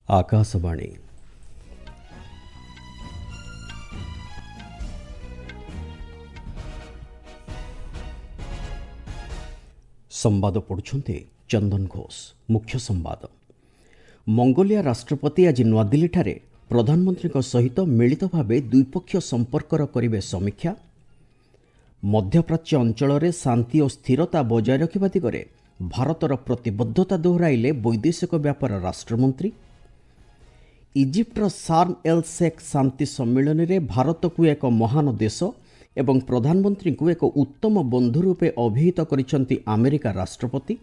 ଆକାଶବାଣୀ। ସମ୍ବାଦ ପଢ଼ୁଛନ୍ତି ଚନ୍ଦନ ଘୋଷ। ମୁଖ୍ୟ ସମ୍ବାଦ। ମଙ୍ଗୋଲିଆ ରାଷ୍ଟ୍ରପତି ଆଜି ନୂଆଦିଲ୍ଲୀଠାରେ ପ୍ରଧାନମନ୍ତ୍ରୀଙ୍କ ସହିତ ମିଳିତ ଭାବେ ଦ୍ୱିପକ୍ଷୀୟ ସମ୍ପର୍କର କରିବେ ସମୀକ୍ଷା। ମଧ୍ୟପ୍ରାଚ୍ୟ ଅଞ୍ଚଳରେ ଶାନ୍ତି ଓ ସ୍ଥିରତା ବଜାୟ ରଖିବା ଦିଗରେ ଭାରତର ପ୍ରତିବଦ୍ଧତା ଦୋହରାଇଲେ ବୈଦେଶିକ ବ୍ୟାପାର ରାଷ୍ଟ୍ରମନ୍ତ୍ରୀ। ଇଜିପ୍ଟର ସାର୍ମ ଏଲ୍ ଶେଖ୍ ଶାନ୍ତି ସମ୍ମିଳନୀରେ ଭାରତକୁ ଏକ ମହାନ ଦେଶ ଏବଂ ପ୍ରଧାନମନ୍ତ୍ରୀଙ୍କୁ ଏକ ଉତ୍ତମ ବନ୍ଧୁ ରୂପେ ଅଭିହିତ କରିଛନ୍ତି ଆମେରିକା ରାଷ୍ଟ୍ରପତି।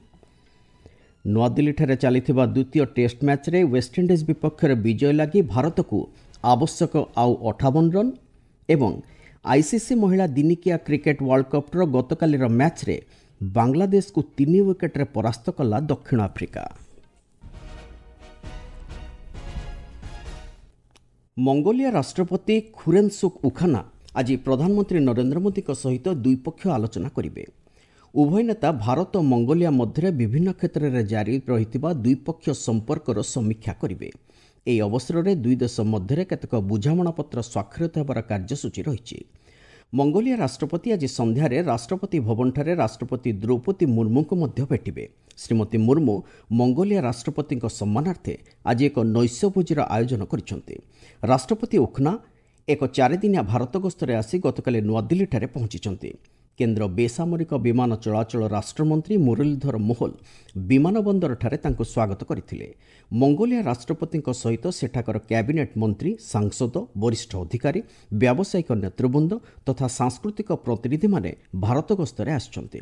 ନୂଆଦିଲ୍ଲୀଠାରେ ଚାଲିଥିବା ଦ୍ୱିତୀୟ ଟେଷ୍ଟ ମ୍ୟାଚ୍ରେ ୱେଷ୍ଟଇଣ୍ଡିଜ୍ ବିପକ୍ଷରେ ବିଜୟ ଲାଗି ଭାରତକୁ ଆବଶ୍ୟକ ଆଉ 58 ରନ୍ ଏବଂ ଆଇସିସି ମହିଳା ଦିନିକିଆ କ୍ରିକେଟ୍ ୱାର୍ଲଡ କପ୍ର ଗତକାଲିର ମ୍ୟାଚ୍ରେ ବାଂଲାଦେଶକୁ 3 ୱିକେଟ୍ରେ ପରାସ୍ତ କଲା ଦକ୍ଷିଣ ଆଫ୍ରିକା। ମଙ୍ଗୋଲିଆ ରାଷ୍ଟ୍ରପତି ଖୁରେନ୍ସୁଖ ଉଖାନା ଆଜି ପ୍ରଧାନମନ୍ତ୍ରୀ ନରେନ୍ଦ୍ର ମୋଦିଙ୍କ ସହିତ ଦ୍ୱିପକ୍ଷୀୟ ଆଲୋଚନା କରିବେ। ଉଭୟ ନେତା ଭାରତ ଓ ମଙ୍ଗୋଲିଆ ମଧ୍ୟରେ ବିଭିନ୍ନ କ୍ଷେତ୍ରରେ ଜାରି ରହିଥିବା ଦ୍ୱିପକ୍ଷୀୟ ସମ୍ପର୍କର ସମୀକ୍ଷା କରିବେ। ଏହି ଅବସରରେ ଦୁଇ ଦେଶ ମଧ୍ୟରେ କେତେକ ବୁଝାମଣାପତ୍ର ସ୍ୱାକ୍ଷରିତ ହେବାର କାର୍ଯ୍ୟସୂଚୀ ରହିଛି। ମଙ୍ଗୋଲିଆ ରାଷ୍ଟ୍ରପତି ଆଜି ସନ୍ଧ୍ୟାରେ ରାଷ୍ଟ୍ରପତି ଭବନଠାରେ ରାଷ୍ଟ୍ରପତି ଦ୍ରୌପଦୀ ମୁର୍ମୁଙ୍କୁ ମଧ୍ୟ ଭେଟିବେ। ଶ୍ରୀମତୀ ମୁର୍ମୁ ମଙ୍ଗୋଲିଆ ରାଷ୍ଟ୍ରପତିଙ୍କ ସମ୍ମାନାର୍ଥେ ଆଜି ଏକ ନୈଶ୍ୟଭୋଜିର ଆୟୋଜନ କରିଛନ୍ତି। ରାଷ୍ଟ୍ରପତି ଉଖନା ଏକ 4 ଦିନିଆ ଭାରତ ଗସ୍ତରେ ଆସି ଗତକାଲି ନୂଆଦିଲ୍ଲୀଠାରେ ପହଞ୍ଚିଛନ୍ତି। କେନ୍ଦ୍ର ବେସାମରିକ ବିମାନ ଚଳାଚଳ ରାଷ୍ଟ୍ରମନ୍ତ୍ରୀ ମୁରଲୀଧର ମୋହଲ ବିମାନ ବନ୍ଦରଠାରେ ତାଙ୍କୁ ସ୍ୱାଗତ କରିଥିଲେ। ମଙ୍ଗୋଲିଆ ରାଷ୍ଟ୍ରପତିଙ୍କ ସହିତ ସେଠାକାର କ୍ୟାବିନେଟ୍ ମନ୍ତ୍ରୀ, ସାଂସଦ, ବରିଷ୍ଠ ଅଧିକାରୀ, ବ୍ୟାବସାୟିକ ନେତୃବୃନ୍ଦ ତଥା ସାଂସ୍କୃତିକ ପ୍ରତିନିଧିମାନେ ଭାରତ ଗସ୍ତରେ ଆସିଛନ୍ତି।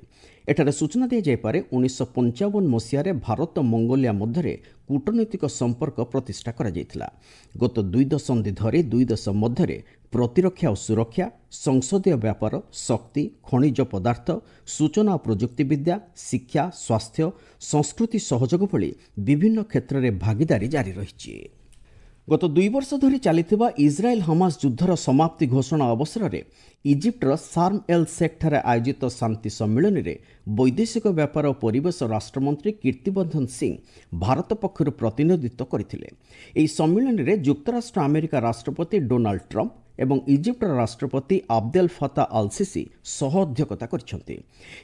ଏଠାରେ ସୂଚନା ଦିଆଯାଇପାରେ, 1955 ମସିହାରେ ଭାରତ ମଙ୍ଗୋଲିଆ ମଧ୍ୟରେ କୂଟନୈତିକ ସମ୍ପର୍କ ପ୍ରତିଷ୍ଠା କରାଯାଇଥିଲା। ଗତ 2 ଦଶନ୍ଧି ଧରି ଦୁଇ ଦେଶ ମଧ୍ୟରେ ପ୍ରତିରକ୍ଷା ଓ ସୁରକ୍ଷା, ସଂସଦୀୟ ବ୍ୟାପାର, ଶକ୍ତି, ଖଣିଜ ପଦାର୍ଥ, ସୂଚନା ଓ ପ୍ରଯୁକ୍ତିବିଦ୍ୟା, ଶିକ୍ଷା, ସ୍ୱାସ୍ଥ୍ୟ, ସଂସ୍କୃତି ସହଯୋଗ ଭଳି ବିଭିନ୍ନ କ୍ଷେତ୍ରରେ ଭାଗିଦାରୀ ଜାରି ରହିଛି। ଗତ 2 ବର୍ଷ ଧରି ଚାଲିଥିବା ଇସ୍ରାଏଲ୍ ହମାସ ଯୁଦ୍ଧର ସମାପ୍ତି ଘୋଷଣା ଅବସରରେ ଇଜିପ୍ଟର ସାର୍ମ ଏଲ୍ ଶେଖ୍ଠାରେ ଆୟୋଜିତ ଶାନ୍ତି ସମ୍ମିଳନୀରେ ବୈଦେଶିକ ବ୍ୟାପାର ଓ ପରିବେଶ ରାଷ୍ଟ୍ରମନ୍ତ୍ରୀ କୀର୍ତ୍ତିବର୍ଦ୍ଧନ ସିଂ ଭାରତ ପକ୍ଷରୁ ପ୍ରତିନିଧିତ୍ୱ କରିଥିଲେ। ଏହି ସମ୍ମିଳନୀରେ ଯୁକ୍ତରାଷ୍ଟ୍ର ଆମେରିକା ରାଷ୍ଟ୍ରପତି ଡୋନାଲ୍ଡ ଟ୍ରମ୍ପ ଏବଂ ଇଜିପ୍ଟର ରାଷ୍ଟ୍ରପତି ଆବଦେଲ ଫତା ଆଲସିସି ସହ ଅଧ୍ୟକ୍ଷତା କରିଛନ୍ତି।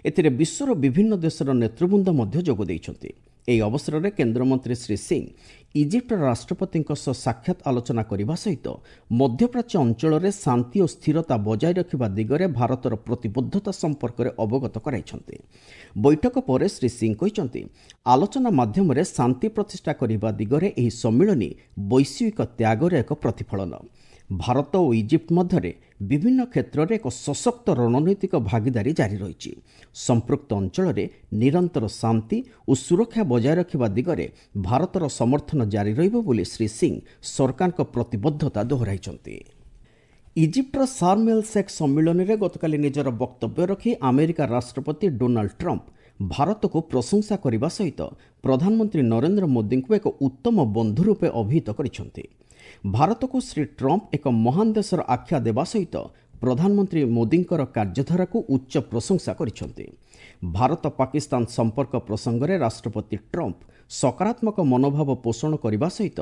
ଏଥିରେ ବିଶ୍ୱର ବିଭିନ୍ନ ଦେଶର ନେତୃବୃନ୍ଦ ମଧ୍ୟ ଯୋଗ ଦେଇଛନ୍ତି। ଏହି ଅବସରରେ କେନ୍ଦ୍ରମନ୍ତ୍ରୀ ଶ୍ରୀ ସିଂ ଇଜିପ୍ଟର ରାଷ୍ଟ୍ରପତିଙ୍କ ସହ ସାକ୍ଷାତ ଆଲୋଚନା କରିବା ସହିତ ମଧ୍ୟପ୍ରାଚ୍ୟ ଅଞ୍ଚଳରେ ଶାନ୍ତି ଓ ସ୍ଥିରତା ବଜାୟ ରଖିବା ଦିଗରେ ଭାରତର ପ୍ରତିବଦ୍ଧତା ସମ୍ପର୍କରେ ଅବଗତ କରାଇଛନ୍ତି। ବୈଠକ ପରେ ଶ୍ରୀ ସିଂ କହିଛନ୍ତି, ଆଲୋଚନା ମାଧ୍ୟମରେ ଶାନ୍ତି ପ୍ରତିଷ୍ଠା କରିବା ଦିଗରେ ଏହି ସମ୍ମିଳନୀ ବୈଶ୍ୱିକ ତ୍ୟାଗର ଏକ ପ୍ରତିଫଳନ। ଭାରତ ଓ ଇଜିପ୍ଟ ମଧ୍ୟରେ ବିଭିନ୍ନ କ୍ଷେତ୍ରରେ ଏକ ସଶକ୍ତ ରଣନୈତିକ ଭାଗିଦାରୀ ଜାରି ରହିଛି। ସମ୍ପୃକ୍ତ ଅଞ୍ଚଳରେ ନିରନ୍ତର ଶାନ୍ତି ଓ ସୁରକ୍ଷା ବଜାୟ ରଖିବା ଦିଗରେ ଭାରତର ସମର୍ଥନ ଜାରି ରହିବ ବୋଲି ଶ୍ରୀ ସିଂ ସରକାରଙ୍କ ପ୍ରତିବଦ୍ଧତା ଦୋହରାଇଛନ୍ତି। ଇଜିପ୍ଟର ସାର୍ମ ଏଲ୍ ଶେଖ୍ ସମ୍ମିଳନୀରେ ଗତକାଲି ନିଜର ବକ୍ତବ୍ୟ ରଖି ଆମେରିକା ରାଷ୍ଟ୍ରପତି ଡୋନାଲ୍ଡ ଟ୍ରମ୍ପ ଭାରତକୁ ପ୍ରଶଂସା କରିବା ସହିତ ପ୍ରଧାନମନ୍ତ୍ରୀ ନରେନ୍ଦ୍ର ମୋଦିଙ୍କୁ ଏକ ଉତ୍ତମ ବନ୍ଧୁ ରୂପେ ଅଭିହିତ କରିଛନ୍ତି। ଭାରତକୁ ଶ୍ରୀ ଟ୍ରମ୍ପ ଏକ ମହାନ ଦେଶର ଆଖ୍ୟା ଦେବା ସହିତ ପ୍ରଧାନମନ୍ତ୍ରୀ ମୋଦିଙ୍କର କାର୍ଯ୍ୟଧାରାକୁ ଉଚ୍ଚ ପ୍ରଶଂସା କରିଛନ୍ତି। ଭାରତ ପାକିସ୍ତାନ ସମ୍ପର୍କ ପ୍ରସଙ୍ଗରେ ରାଷ୍ଟ୍ରପତି ଟ୍ରମ୍ପ ସକାରାତ୍ମକ ମନୋଭାବ ପୋଷଣ କରିବା ସହିତ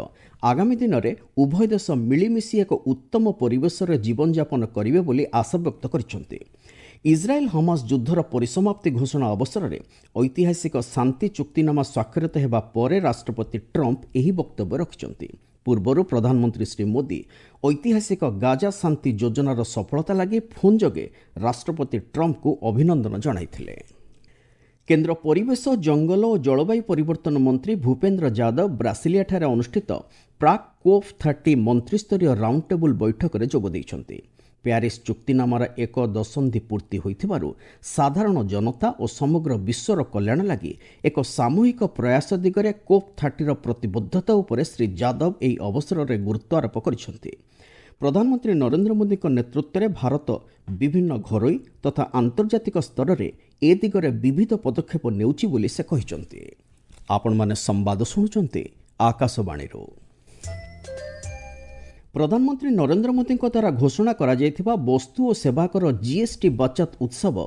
ଆଗାମୀ ଦିନରେ ଉଭୟ ଦେଶ ମିଳିମିଶି ଏକ ଉତ୍ତମ ପରିବେଶରେ ଜୀବନଯାପନ କରିବେ ବୋଲି ଆଶାବ୍ୟକ୍ତ କରିଛନ୍ତି। ଇସ୍ରାଏଲ୍ ହମାସ ଯୁଦ୍ଧର ପରିସମାପ୍ତି ଘୋଷଣା ଅବସରରେ ଐତିହାସିକ ଶାନ୍ତି ଚୁକ୍ତିନାମା ସ୍ୱାକ୍ଷରିତ ହେବା ପରେ ରାଷ୍ଟ୍ରପତି ଟ୍ରମ୍ପ ଏହି ବକ୍ତବ୍ୟ ରଖିଛନ୍ତି। ପୂର୍ବରୁ ପ୍ରଧାନମନ୍ତ୍ରୀ ଶ୍ରୀ ମୋଦି ଐତିହାସିକ ଗାଜା ଶାନ୍ତି ଯୋଜନାର ସଫଳତା ଲାଗି ଫୋନ୍ ଯୋଗେ ରାଷ୍ଟ୍ରପତି ଟ୍ରମ୍ପଙ୍କୁ ଅଭିନନ୍ଦନ ଜଣାଇଥିଲେ। କେନ୍ଦ୍ର ପରିବେଶ, ଜଙ୍ଗଲ ଓ ଜଳବାୟୁ ପରିବର୍ତ୍ତନ ମନ୍ତ୍ରୀ ଭୂପେନ୍ଦ୍ର ଯାଦବ ବ୍ରାସିଲିଆଠାରେ ଅନୁଷ୍ଠିତ ପ୍ରାକ୍ କୋପ୍ 30 ମନ୍ତ୍ରିସ୍ତରୀୟ ରାଉଣ୍ଡ ଟେବୁଲ୍ ବୈଠକରେ ଯୋଗ ଦେଇଛନ୍ତି। ପ୍ୟାରିସ୍ ଚୁକ୍ତିନାମାର ଏକ ଦଶନ୍ଧି ପୂର୍ତ୍ତି ହୋଇଥିବାରୁ ସାଧାରଣ ଜନତା ଓ ସମଗ୍ର ବିଶ୍ୱର କଲ୍ୟାଣ ଲାଗି ଏକ ସାମୂହିକ ପ୍ରୟାସ ଦିଗରେ କୋପ୍ 30ର ପ୍ରତିବଦ୍ଧତା ଉପରେ ଶ୍ରୀ ଯାଦବ ଏହି ଅବସରରେ ଗୁରୁତ୍ୱ ଆରୋପ କରିଛନ୍ତି। ପ୍ରଧାନମନ୍ତ୍ରୀ ନରେନ୍ଦ୍ର ମୋଦିଙ୍କ ନେତୃତ୍ୱରେ ଭାରତ ବିଭିନ୍ନ ଘରୋଇ ତଥା ଆନ୍ତର୍ଜାତିକ ସ୍ତରରେ ଏ ଦିଗରେ ବିବିଧ ପଦକ୍ଷେପ ନେଉଛି ବୋଲି ସେ କହିଛନ୍ତି। ଆପଣମାନେ ସମ୍ବାଦ ଶୁଣୁଛନ୍ତି ଆକାଶବାଣୀରୁ। ପ୍ରଧାନମନ୍ତ୍ରୀ ନରେନ୍ଦ୍ର ମୋଦିଙ୍କ ଦ୍ୱାରା ଘୋଷଣା କରାଯାଇଥିବା ବସ୍ତୁ ଓ ସେବାକର ଜିଏସ୍ଟି ବଚତ ଉତ୍ସବ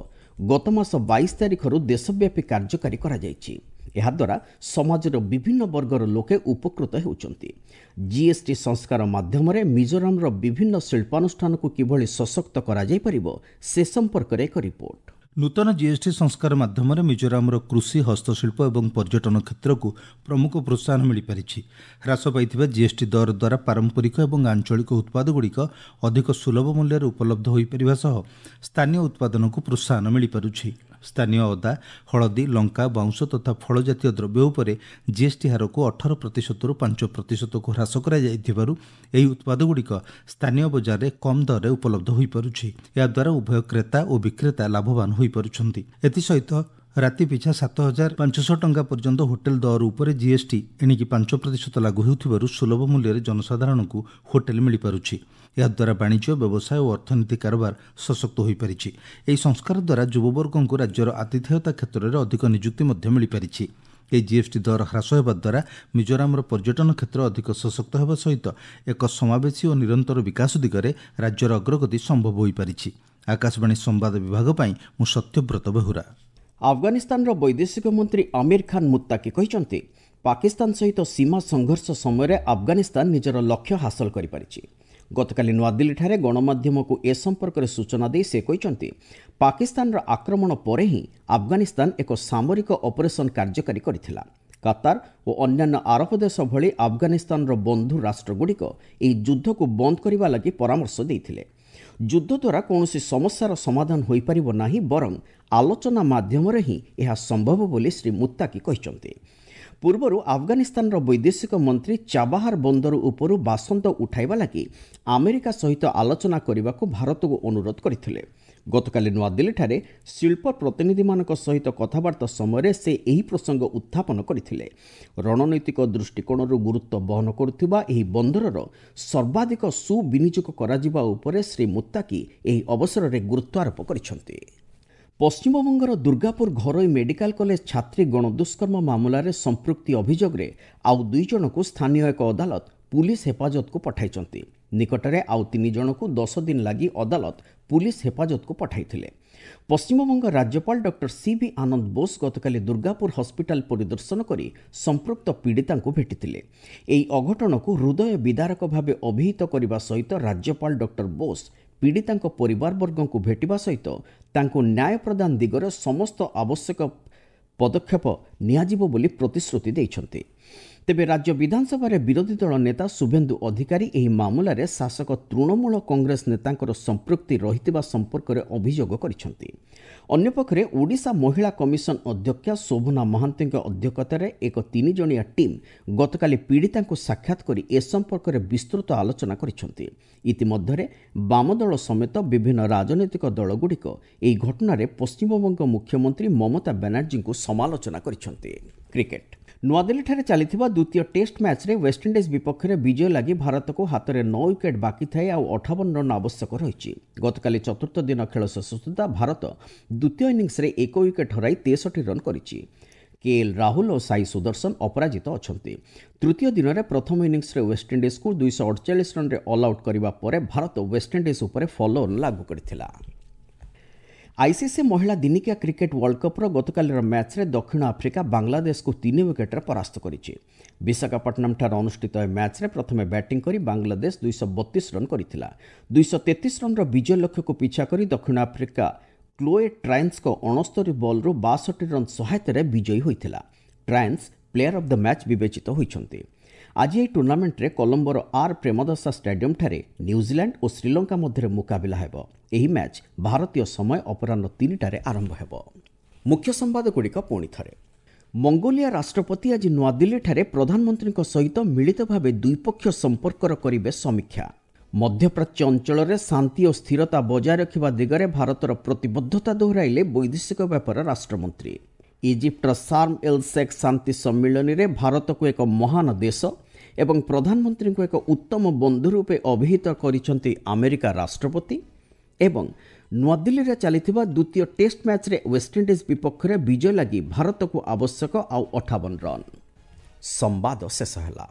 ଗତ ମାସ 22 ତାରିଖରୁ ଦେଶବ୍ୟାପୀ କାର୍ଯ୍ୟକାରୀ କରାଯାଇଛି। ଏହାଦ୍ୱାରା ସମାଜର ବିଭିନ୍ନ ବର୍ଗର ଲୋକେ ଉପକୃତ ହେଉଛନ୍ତି। ଜିଏସ୍ଟି ସଂସ୍କାର ମାଧ୍ୟମରେ ମିଜୋରାମର ବିଭିନ୍ନ ଶିଳ୍ପାନୁଷ୍ଠାନକୁ କିଭଳି ସଶକ୍ତ କରାଯାଇପାରିବ ସେ ସମ୍ପର୍କରେ ଏକ ରିପୋର୍ଟ। ନୂତନ ଜିଏସ୍ଟି ସଂସ୍କାର ମାଧ୍ୟମରେ ମିଜୋରାମର କୃଷି, ହସ୍ତଶିଳ୍ପ ଏବଂ ପର୍ଯ୍ୟଟନ କ୍ଷେତ୍ରକୁ ପ୍ରମୁଖ ପ୍ରୋତ୍ସାହନ ମିଳିପାରିଛି। ହ୍ରାସ ପାଇଥିବା ଜିଏସ୍ଟି ଦର ଦ୍ୱାରା ପାରମ୍ପରିକ ଏବଂ ଆଞ୍ଚଳିକ ଉତ୍ପାଦଗୁଡ଼ିକ ଅଧିକ ସୁଲଭ ମୂଲ୍ୟରେ ଉପଲବ୍ଧ ହୋଇପାରିବା ସହ ସ୍ଥାନୀୟ ଉତ୍ପାଦନକୁ ପ୍ରୋତ୍ସାହନ ମିଳିପାରୁଛି। ସ୍ଥାନୀୟ ଅଦା, ହଳଦୀ, ଲଙ୍କା, ବାଉଁଶ ତଥା ଫଳ ଜାତୀୟ ଦ୍ରବ୍ୟ ଉପରେ ଜିଏସ୍ଟି ହାରକୁ 18%ରୁ 5%କୁ ହ୍ରାସ କରାଯାଇଥିବାରୁ ଏହି ଉତ୍ପାଦଗୁଡ଼ିକ ସ୍ଥାନୀୟ ବଜାରରେ କମ୍ ଦରରେ ଉପଲବ୍ଧ ହୋଇପାରୁଛି। ଏହାଦ୍ୱାରା ଉଭୟ କ୍ରେତା ଓ ବିକ୍ରେତା ଲାଭବାନ ହୋଇପାରୁଛନ୍ତି। ଏଥିସହିତ ରାତି ପିଛା 7500 ଟଙ୍କା ପର୍ଯ୍ୟନ୍ତ ହୋଟେଲ ଦର ଉପରେ ଜିଏସ୍ଟି ଏଣିକି 5% ଲାଗୁ ହେଉଥିବାରୁ ସୁଲଭ ମୂଲ୍ୟରେ ଜନସାଧାରଣଙ୍କୁ ହୋଟେଲ ମିଳିପାରୁଛି। ଏହାଦ୍ୱାରା ବାଣିଜ୍ୟ, ବ୍ୟବସାୟ ଓ ଅର୍ଥନୀତି କାରବାର ସଶକ୍ତ ହୋଇପାରିଛି। ଏହି ସଂସ୍କାର ଦ୍ୱାରା ଯୁବବର୍ଗଙ୍କୁ ରାଜ୍ୟର ଆତିଥେୟତା କ୍ଷେତ୍ରରେ ଅଧିକ ନିଯୁକ୍ତି ମଧ୍ୟ ମିଳିପାରିଛି। ଏହି ଜିଏସ୍ଟି ଦର ହ୍ରାସ ହେବା ଦ୍ୱାରା ମିଜୋରାମର ପର୍ଯ୍ୟଟନ କ୍ଷେତ୍ର ଅଧିକ ସଶକ୍ତ ହେବା ସହିତ ଏକ ସମାବେଶୀ ଓ ନିରନ୍ତର ବିକାଶ ଦିଗରେ ରାଜ୍ୟର ଅଗ୍ରଗତି ସମ୍ଭବ ହୋଇପାରିଛି। ଆକାଶବାଣୀ ସମ୍ବାଦ ବିଭାଗ ପାଇଁ ମୁଁ ସତ୍ୟବ୍ରତ ବେହୁରା। ଆଫଗାନିସ୍ତାନର ବୈଦେଶିକ ମନ୍ତ୍ରୀ ଆମିର ଖାନ୍ ମୁତ୍ତାକି କହିଛନ୍ତି, ପାକିସ୍ତାନ ସହିତ ସୀମା ସଂଘର୍ଷ ସମୟରେ ଆଫଗାନିସ୍ତାନ ନିଜର ଲକ୍ଷ୍ୟ ହାସଲ କରିପାରିଛି। ଗତକାଲି ନୂଆଦିଲ୍ଲୀଠାରେ ଗଣମାଧ୍ୟମକୁ ଏ ସମ୍ପର୍କରେ ସୂଚନା ଦେଇ ସେ କହିଛନ୍ତି, ପାକିସ୍ତାନର ଆକ୍ରମଣ ପରେ ହିଁ ଆଫଗାନିସ୍ତାନ ଏକ ସାମରିକ ଅପରେସନ୍ କାର୍ଯ୍ୟକାରୀ କରିଥିଲା। କାତାର ଓ ଅନ୍ୟାନ୍ୟ ଆରବ ଦେଶ ଭଳି ଆଫଗାନିସ୍ତାନର ବନ୍ଧୁ ରାଷ୍ଟ୍ରଗୁଡ଼ିକ ଏହି ଯୁଦ୍ଧକୁ ବନ୍ଦ କରିବା ଲାଗି ପରାମର୍ଶ ଦେଇଥିଲେ। ଯୁଦ୍ଧ ଦ୍ୱାରା କୌଣସି ସମସ୍ୟାର ସମାଧାନ ହୋଇପାରିବ ନାହିଁ, ବରଂ ଆଲୋଚନା ମାଧ୍ୟମରେ ହିଁ ଏହା ସମ୍ଭବ ବୋଲି ଶ୍ରୀ ମୁତ୍ତାକି କହିଛନ୍ତି। ପୂର୍ବରୁ ଆଫଗାନିସ୍ତାନର ବୈଦେଶିକ ମନ୍ତ୍ରୀ ଚାବାହାର ବନ୍ଦର ଉପରୁ ବାସନ୍ଦ ଉଠାଇବା ଲାଗି ଆମେରିକା ସହିତ ଆଲୋଚନା କରିବାକୁ ଭାରତକୁ ଅନୁରୋଧ କରିଥିଲେ। ଗତକାଲି ନୂଆଦିଲ୍ଲୀଠାରେ ଶିଳ୍ପ ପ୍ରତିନିଧିମାନଙ୍କ ସହିତ କଥାବାର୍ତ୍ତା ସମୟରେ ସେ ଏହି ପ୍ରସଙ୍ଗ ଉତ୍ଥାପନ କରିଥିଲେ। ରଣନୈତିକ ଦୃଷ୍ଟିକୋଣରୁ ଗୁରୁତ୍ୱ ବହନ କରୁଥିବା ଏହି ବନ୍ଦରର ସର୍ବାଧିକ ସୁବିନିଯୋଗ କରାଯିବା ଉପରେ ଶ୍ରୀ ମୁତ୍ତାକି ଏହି ଅବସରରେ ଗୁରୁତ୍ୱାରୋପ କରିଛନ୍ତି। ପଶ୍ଚିମବଙ୍ଗର ଦୁର୍ଗାପୁର ଘରୋଇ ମେଡିକାଲ କଲେଜ ଛାତ୍ରୀ ଗଣଦୁଷ୍କର୍ମ ମାମଲାରେ ସମ୍ପୃକ୍ତି ଅଭିଯୋଗରେ ଆଉ 2 ଜଣଙ୍କୁ ସ୍ଥାନୀୟ ଏକ ଅଦାଲତ ପୁଲିସ ହେଫାଜତକୁ ପଠାଇଛନ୍ତି। ନିକଟରେ ଆଉ 3 ଜଣଙ୍କୁ 10 ଦିନ ଲାଗି ଅଦାଲତ ପୁଲିସ ହେଫାଜତକୁ ପଠାଇଥିଲେ। ପଶ୍ଚିମବଙ୍ଗ ରାଜ୍ୟପାଳ ଡକ୍ଟର ସି.ଭି. ଆନନ୍ଦ ବୋଷ ଗତକାଲି ଦୁର୍ଗାପୁର ହସ୍ପିଟାଲ ପରିଦର୍ଶନ କରି ସମ୍ପୃକ୍ତ ପୀଡ଼ିତାଙ୍କୁ ଭେଟିଥିଲେ। ଏହି ଅଘଟଣକୁ ହୃଦୟ ବିଦାରକ ଭାବେ ଅଭିହିତ କରିବା ସହିତ ରାଜ୍ୟପାଳ ଡକ୍ଟର ବୋଷ ପୀଡ଼ିତାଙ୍କ ପରିବାରବର୍ଗଙ୍କୁ ଭେଟିବା ସହିତ ତାଙ୍କୁ ନ୍ୟାୟ ପ୍ରଦାନ ଦିଗରେ ସମସ୍ତ ଆବଶ୍ୟକ ପଦକ୍ଷେପ ନିଆଯିବ ବୋଲି ପ୍ରତିଶ୍ରୁତି ଦେଇଛନ୍ତି। ତେବେ ରାଜ୍ୟ ବିଧାନସଭାରେ ବିରୋଧୀ ଦଳ ନେତା ଶୁଭେନ୍ଦୁ ଅଧିକାରୀ ଏହି ମାମଲାରେ ଶାସକ ତୃଣମୂଳ କଂଗ୍ରେସ ନେତାଙ୍କର ସମ୍ପୃକ୍ତି ରହିଥିବା ସମ୍ପର୍କରେ ଅଭିଯୋଗ କରିଛନ୍ତି। ଅନ୍ୟପକ୍ଷରେ ଓଡ଼ିଶା ମହିଳା କମିଶନ ଅଧ୍ୟକ୍ଷା ଶୋଭନା ମହାନ୍ତିଙ୍କ ଅଧ୍ୟକ୍ଷତାରେ ଏକ 3 ଜଣିଆ ଟିମ୍ ଗତକାଲି ପୀଡ଼ିତାଙ୍କୁ ସାକ୍ଷାତ କରି ଏ ସମ୍ପର୍କରେ ବିସ୍ତୃତ ଆଲୋଚନା କରିଛନ୍ତି। ଇତିମଧ୍ୟରେ ବାମଦଳ ସମେତ ବିଭିନ୍ନ ରାଜନୈତିକ ଦଳଗୁଡ଼ିକ ଏହି ଘଟଣାରେ ପଶ୍ଚିମବଙ୍ଗ ମୁଖ୍ୟମନ୍ତ୍ରୀ ମମତା ବାନାର୍ଜୀଙ୍କୁ ସମାଲୋଚନା କରିଛନ୍ତି। କ୍ରିକେଟ। ନୂଆଦିଲ୍ଲୀଠାରେ ଚାଲିଥିବା ଦ୍ୱିତୀୟ ଟେଷ୍ଟ ମ୍ୟାଚ୍ରେ ୱେଷ୍ଟଇଣ୍ଡିଜ୍ ବିପକ୍ଷରେ ବିଜୟ ଲାଗି ଭାରତକୁ ହାତରେ 9 ୱିକେଟ୍ ବାକି ଥାଇ ଆଉ 58 ରନ୍ ଆବଶ୍ୟକ ରହିଛି। ଗତକାଲି ଚତୁର୍ଥ ଦିନ ଖେଳ ଶେଷ ସୁଦ୍ଧା ଭାରତ ଦ୍ୱିତୀୟ ଇନିଂସରେ 1 ୱିକେଟ୍ ହରାଇ 63 ରନ୍ କରିଛି। କେଏଲ୍ ରାହୁଲ ଓ ସାଇ ସୁଦର୍ଶନ ଅପରାଜିତ ଅଛନ୍ତି। ତୃତୀୟ ଦିନରେ ପ୍ରଥମ ଇନିଂସରେ ୱେଷ୍ଟଇଣ୍ଡିଜ୍କୁ 248 ରନ୍ରେ ଅଲ୍ ଆଉଟ୍ କରିବା ପରେ ଭାରତ ୱେଷ୍ଟଇଣ୍ଡିଜ୍ ଉପରେ ଫଲୋଅନ୍ ଲାଗୁ କରିଥିଲା। ଆଇସିସି ମହିଳା ଦିନିକିଆ କ୍ରିକେଟ୍ ୱାର୍ଲଡ କପ୍ର ଗତକାଲିର ମ୍ୟାଚ୍ରେ ଦକ୍ଷିଣ ଆଫ୍ରିକା ବାଂଲାଦେଶକୁ 3 ୱିକେଟ୍ରେ ପରାସ୍ତ କରିଛି। ବିଶାଖାପଟ୍ଟନମଠାରେ ଅନୁଷ୍ଠିତ ଏହି ମ୍ୟାଚ୍ରେ ପ୍ରଥମେ ବ୍ୟାଟିଂ କରି ବାଂଲାଦେଶ 232 ରନ୍ କରିଥିଲା। 233 ରନ୍ର ବିଜୟ ଲକ୍ଷ୍ୟକୁ ପିଛା କରି ଦକ୍ଷିଣ ଆଫ୍ରିକା କ୍ଲୋଏ ଟ୍ରାଏନ୍ସଙ୍କ 69 ବଲ୍ରୁ 62 ରନ୍ ସହାୟତାରେ ବିଜୟୀ ହୋଇଥିଲା। Triens player of the match ବିବେଚିତ ହୋଇଛନ୍ତି। ଆଜି ଏହି ଟୁର୍ଣ୍ଣାମେଣ୍ଟରେ କଲମ୍ବୋର ଆର୍ ପ୍ରେମଦାସା ଷ୍ଟାଡିୟମଠାରେ ନ୍ୟୁଜିଲାଣ୍ଡ ଓ ଶ୍ରୀଲଙ୍କା ମଧ୍ୟରେ ମୁକାବିଲା ହେବ। ଏହି ମ୍ୟାଚ୍ ଭାରତୀୟ ସମୟ ଅପରାହ୍ନ 3ଟାରେ ଆରମ୍ଭ ହେବ। ମୁଖ୍ୟ ସମ୍ବାଦଗୁଡ଼ିକ ପୁଣି ଥରେ। ମଙ୍ଗୋଲିଆ ରାଷ୍ଟ୍ରପତି ଆଜି ନୂଆଦିଲ୍ଲୀଠାରେ ପ୍ରଧାନମନ୍ତ୍ରୀଙ୍କ ସହିତ ମିଳିତ ଭାବେ ଦ୍ୱିପକ୍ଷୀୟ ସମ୍ପର୍କର କରିବେ ସମୀକ୍ଷା। ମଧ୍ୟପ୍ରାଚ୍ୟ ଅଞ୍ଚଳରେ ଶାନ୍ତି ଓ ସ୍ଥିରତା ବଜାୟ ରଖିବା ଦିଗରେ ଭାରତର ପ୍ରତିବଦ୍ଧତା ଦୋହରାଇଲେ ବୈଦେଶିକ ବ୍ୟାପାର ରାଷ୍ଟ୍ରମନ୍ତ୍ରୀ। ଇଜିପ୍ଟର ସାର୍ମ ଏଲ୍ ଶେଖ୍ ଶାନ୍ତି ସମ୍ମିଳନୀରେ ଭାରତକୁ ଏକ ମହାନ ଦେଶ ଏବଂ ପ୍ରଧାନମନ୍ତ୍ରୀଙ୍କୁ ଏକ ଉତ୍ତମ ବନ୍ଧୁ ରୂପେ ଅଭିହିତ କରିଛନ୍ତି ଆମେରିକା ରାଷ୍ଟ୍ରପତି। ଏବଂ ନୂଆଦିଲ୍ଲୀରେ ଚାଲିଥିବା ଦ୍ୱିତୀୟ ଟେଷ୍ଟ ମ୍ୟାଚ୍ରେ ୱେଷ୍ଟଇଣ୍ଡିଜ୍ ବିପକ୍ଷରେ ବିଜୟ ଲାଗି ଭାରତକୁ ଆବଶ୍ୟକ ଆଉ 58 ରନ୍। ସମ୍ବାଦ ଶେଷ ହେଲା।